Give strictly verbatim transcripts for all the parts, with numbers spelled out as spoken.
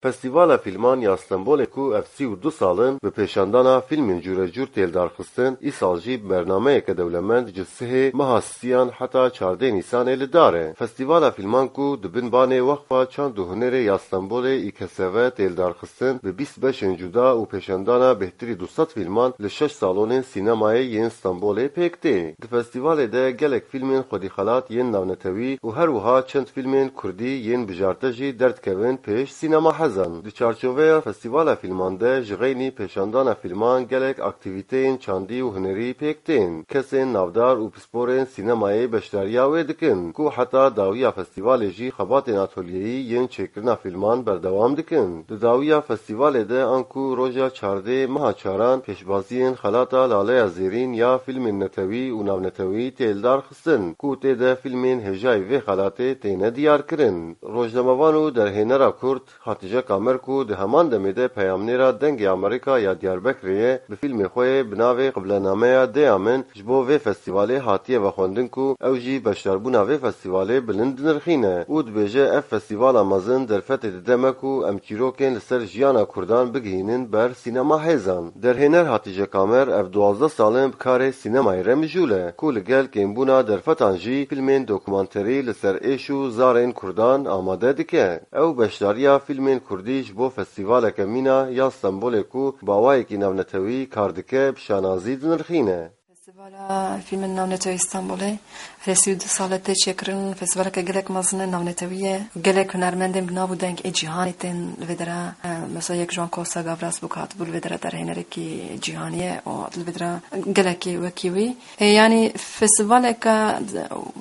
Festîvala Fîlman ya Stenbolê ku ev sî û du sal in bi pêşandana fîlmên cûrecûr tê lidarxistin, îsal jî bi bernameyeke dewlemend ji sihê meha siyan heta çardê Nîsanê li dar e. Festîvala Fîlman ku di bin banê Wexfa Çand û Hunerê ya Stenbolê, İKSV, tê lidarxistin, bi bîst beşên cuda û pêşandana bêhtirî du sed fîlman li şeş salonên sînemayê yên Stenbolê pêk tê. Di festîvalê de gelek fîlmên xwedîxelat yên navnetewî û her wiha çend fîlmên kurdî yên bijarte jî derdikevin pêş sînema hezan. Di çarçoveya Festîvala Fîlman de ji xeynî pêşandana fîlman gelek aktîvîteyên çandî û hunerî pêk tên. Kesên navdar û pisporên sînemayê beşdariya wê dikin, ku heta dawiya festîvalê jî xebatên atolyeyî yên çêkirina fîlman berdewam dikin. Di dawiya festîvalê de anku roja çardê meha çaran pêşbaziyên xelata Laleya Zêrîn ya fîlmên netewî û navnetewî tê lidarxistin, ku tê de fîlmên hêjayî vê xelatê têne diyarkirin. Rojnamevan û derhênera Kurd Hatice Kamer ku di heman demê de peyamnêra Dengê Amerîka ya Diyarbekirê ye, bi fîlmê xwe yê bi navê Qiblenameya Dêya Min ji bo vê festîvalê hatiye vexwendin ku ew jî beşdarbûna vê festîvalê bilind dinirxîne û dibêje, ev festîvala mezin derfetê dide me ku em çîrokên li ser jiyana Kurdan bigihînin ber sînema hêzan. Derhêner Hatice Kamer ev duwazdeh sal in bi karê sînemayê re mijûl e ku li gel kêmbûna derfetan jî fîlmên dokumanterî li ser êş û zarên Kurdan amade dike. Ew beşdariya fîlmên kurdî ji bo festîvaleke mîna ya Stenbolê ku bi awayekî navnetewî kar dike, bi şanazî dinirxîne. Festîvala Fîlmên Navnetewî Stenbolê herê sî û du sale tê çêkirin. Festîvaleke gelek mezin e, navnetewî ye. Gelek hunermendên bi nav û deng ê cîhanê tên li vê dera. E, mesela yek ji wan Kosta Gavras bû ku hatibû li vê dera derhênerekî cîhanî ye û li vê dera gelekî wekî wî. E, yanî festîvaleke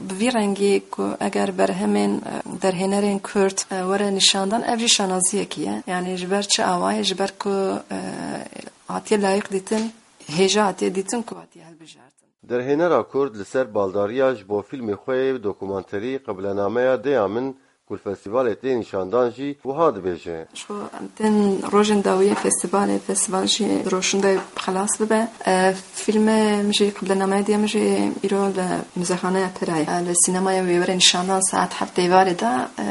bi vî rengî ku eger berhemên, e, derhênerên Kurd, e, were nîşandan, ev jî şanaziyekî ye. Yanî ji ber çi awayê? Ji ber ku, e, hatiye layîq dîtin, hêja hatiye dîtin ku hatiye hilbijartin. Derhênera Kurd li ser baldariya ji bo fîlmê xwe yê dokumanterî Qiblenameya Dêya Min ku li festîvalê tê nîşandan jî wiha dibêje. Ji xwe em tên rojên dawiyê festîvalê, festîval jî di roşindayê xelas bibe. E, fîlmê min jî, Qiblenameya Dêya Min jî îro li Muzexaneya Pera ye. E, li sînemaya wê were nîşandan saet heft êvarê de. E,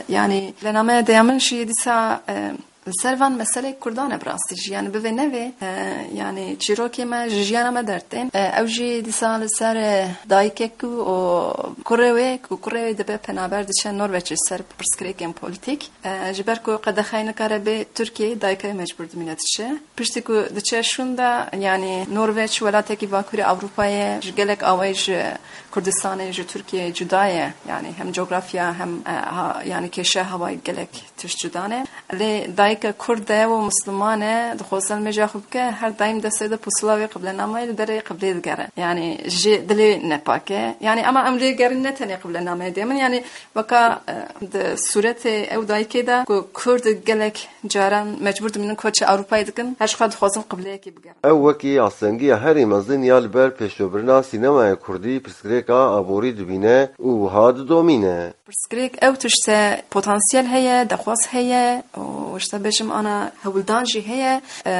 yanî Qiblenameya Dêya Min jî dîsa, e, Li ser van meselê Kurdan e bi rastî jî. Yanî bivê nevê, e, yanî çîrokê me ji jiyana me dertên. E, ew jî dîsa li ser, e, dayikek û, û kurê wê, ku kurê wê dibe penaber diçe Norveçê ser pirsgirêkên polîtîk. E, ji ber ku qedexeyê nikare bê Tirkiyeyê, dayika wê mecbûr dimîne diçe. Piştî ku diçe şûnda, yanî Norveç welatekî Bakurê Ewropa ye, ji gelek awayî ji Kurdistanê, ji Tirkiyeyê cuda ye. Yanî hem cografya hem, e, ha, yanî kêşeya hewayî gelek tişt cuda ne. Lê dayika Kurd e û Misliman e, dixwaze nimêja xwe bike, her daîm destê de pusula wê qiblenamayê li derê qiblê digere. Yanî ji dilê nepak e. Yanî ema em lê gerin ne tenê qiblenamayê dê min, yanî weka, e, di sûretê ew dayikê de ku Kurd gelek caran mecbûr dimînin koçê Ewropayê dikin, her ji xwe dixwazin qibleyekê bigerin. Ew wekî astengiya herî mezin ya li ber pêşvebirina sînemaya Kurdî pirsgirêka aborî dibîne û wiha didomîne. Pirsgirêk ew tişt e, potansiyel heye, dexwaz heye û ji te bêjim ana hewldan jî heye. E,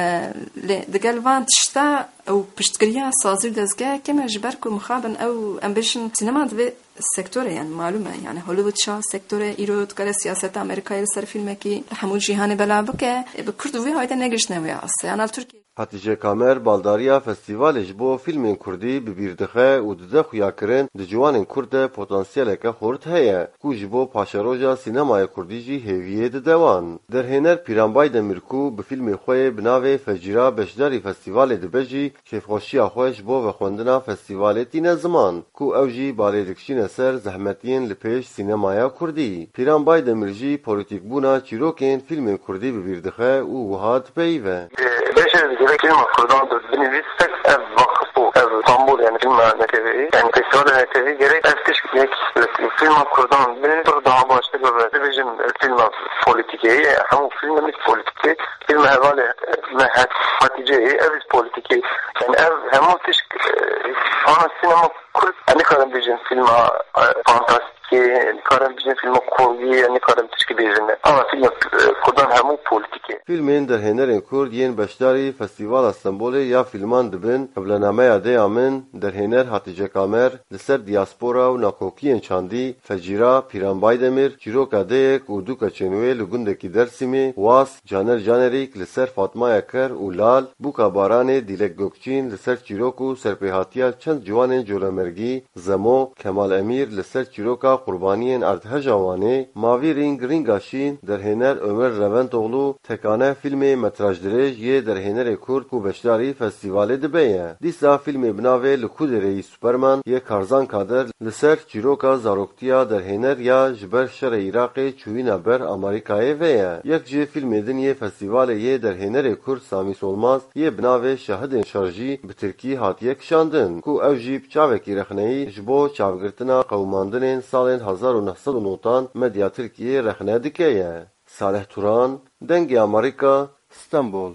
lê digel van tişta ew piştgiriya sazî û dezgehekê me ji ber ku mixabin ew, em bêjin sînema divê sektorê, yani malûm e, yani Hollywood ça sektorê îro dikare siyaseta Amerîkayê li ser fîlmekî li hemû cîhanê bela bike, e, bi Kurd û vê hayde negihiştine wê astê. Ana li Tirkiye. Hatice Kamer baldariya festîvalê ji bo fîlmên kurdî bi bîr dixe û dide xuyakirin di ciwanên kurd de potansiyeleke xurt heye ku ji bo paşeroja sînemaya kurdî jî hêviyê dide wan. Derhêner Pîran Baydemir ku bi fîlmê xwe yê bi navê Fecîra beşdarî festîvalê dibe jî kêfxweşiya xwe ji bo vexwendina festîvalê tîne ziman ku ew jî balê dikişîne ser zehmetiyên li pêş sînemaya kurdî. Pîran Baydemir jî polîtîkbûna çîrokên fîlmên kurdî bi bîr dixe û wiha dipeyive. Beşê li fîlma kurdan bi binivîs pek ev vakif û ev Stambul, yani fîlma netewî, yani festîvala netewî gerek ev tişt yek li fîlma kurdan binivîs pir daha baştir bibe. Dibêjin fîlma polîtîkê ye, hemû fîlm ne polîtîkê. Fîlma hevalê me het Hatîceyê, ev jî polîtîkê. Yani ev hemû tişt, e, ana sînema kurd, em nikarin bêjin fîlma, e, fantastîk. Kê nikarin bijin fîlma kurdî, ya nikarin tişkî bêjin. Ama fîlma, e, kurdan hemû polîtîk e. Fîlmên derhênerên kurd yên beşdarî Festîvala Stenbolê ya fîlman dibin, Qiblenameya Deya Min, derhêner Hatîce Kamer, li ser diyaspora û nakokiyên çandî, Fecîra, Pîran Baydemir, çîroka deyek û du keçên wê li gundekî Dêrsimê, Was, Caner Canerîk li ser Fatmaya Ker û Lal, Bûka Baranê, Dîlek Gokçîn li ser çîrok û serpêhatiya çend ciwanên colemergî, Zemo, Kemal Emîr li ser çîroka qurbaniyên erdheja Wanê, Mavî Rîng Rînga Şîn, derhêner Omer Reventoğlu, Tekane fîlmê metrajdirêj yê derhênerê kurd ku beşdarî festîvalê dibe ye. Dîsa fîlmê bi navê Li Ku Derê Yî Superman yê Karzan Kadir li ser çîroka zaroktiya derhêner ya ji ber şerê Iraqê çûyîna ber Amerîkayê ve ye. Yek ji fîlmê din yê festîvalê yê derhênerê kurd Samî Solmaz yê bi navê Şahidên Şer jî bi tirkî hatiye kişandin, ku ew jî bi çavekî rexneyî ji bo çavgirtina qewimandinên salên hezar û neh sed û newdan medya Tirkiyê rexne dike ye. Salih Turan, Dengê Amerîka, Stenbol.